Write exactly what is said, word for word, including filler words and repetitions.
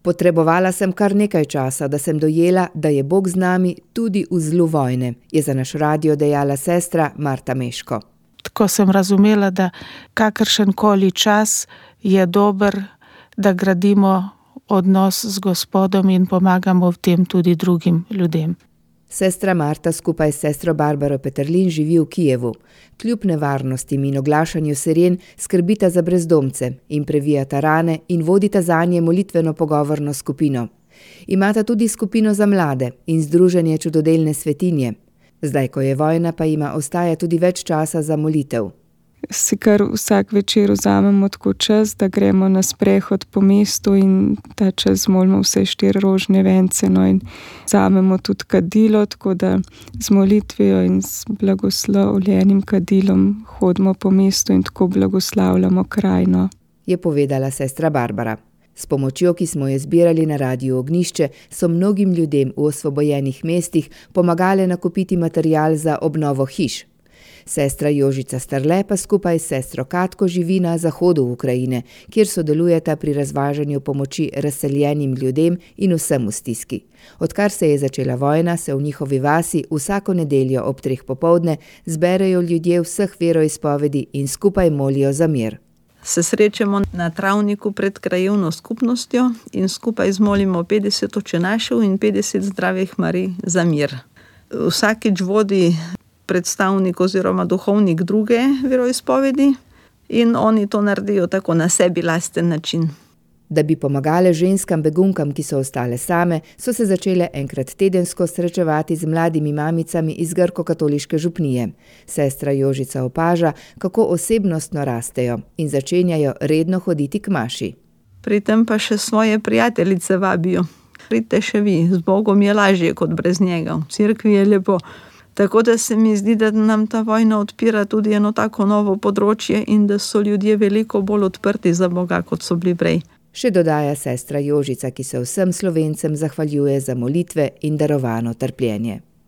Potrebovala sem kar nekaj časa, da sem dojela, da je Bog z nami tudi v zlu vojne, je za naš radio dejala sestra Marta Meško. Tako sem razumela, da kakršenkoli čas je dober, da gradimo odnos z Gospodom in pomagamo v tem tudi drugim ljudem. Sestra Marta skupaj s sestro Barbaro Peterlin živi v Kijevu. Kljub nevarnostim in oglašanju siren skrbita za brezdomce in previjata rane in vodita zanje molitveno pogovorno skupino. Imata tudi skupino za mlade in združenje Čudodelne svetinje. Zdaj, ko je vojna, pa ima ostaja tudi več časa za molitev. Si kar vsak večer vzamemo tako čas, da gremo na sprehod po mestu in ta čas molimo vse štiri rožne vence, no, in vzamemo tudi kadilo, tako da z molitvijo in z blagoslovljenim kadilom hodimo po mestu in tako blagoslavljamo krajino. Je povedala sestra Barbara. S pomočjo, ki smo jo zbirali na Radiu Ognjišče, so mnogim ljudem v osvobojenih mestih pomagale nakupiti material za obnovo hiš. Sestra Jožica Starle pa skupaj s sestro Katko živi na zahodu Ukrajine, kjer sodelujeta pri razvažanju pomoči razseljenim ljudem in vsem v stiski. Odkar se je začela vojna, se v njihovi vasi vsako nedeljo ob treh popoldne zberejo ljudje vseh veroizpovedi in skupaj molijo za mir. Se srečamo na travniku pred krajevno skupnostjo in skupaj zmolimo petdeset očenašev in petdeset zdravih Marij za mir. Vsakič vodi predstavnik oziroma duhovnik druge veroizpovedi in oni to naredijo tako na sebi lasten način. Da bi pomagale ženskam begunkam, ki so ostale same, so se začele enkrat tedensko srečevati z mladimi mamicami iz grko-katoliške župnije. Sestra Jožica opaža, kako osebnostno rastejo in začenjajo redno hoditi k maši. Pri tem pa še svoje prijateljice vabijo. Pridite še vi, z Bogom je lažje kot brez njega, v cerkvi je lepo. Tako da se mi zdi, da nam ta vojna odpira tudi eno tako novo področje in da so ljudje veliko bolj odprti za Boga, kot so bili prej. Še dodaja sestra Jožica, ki se vsem Slovencem zahvaljuje za molitve in darovano trpljenje.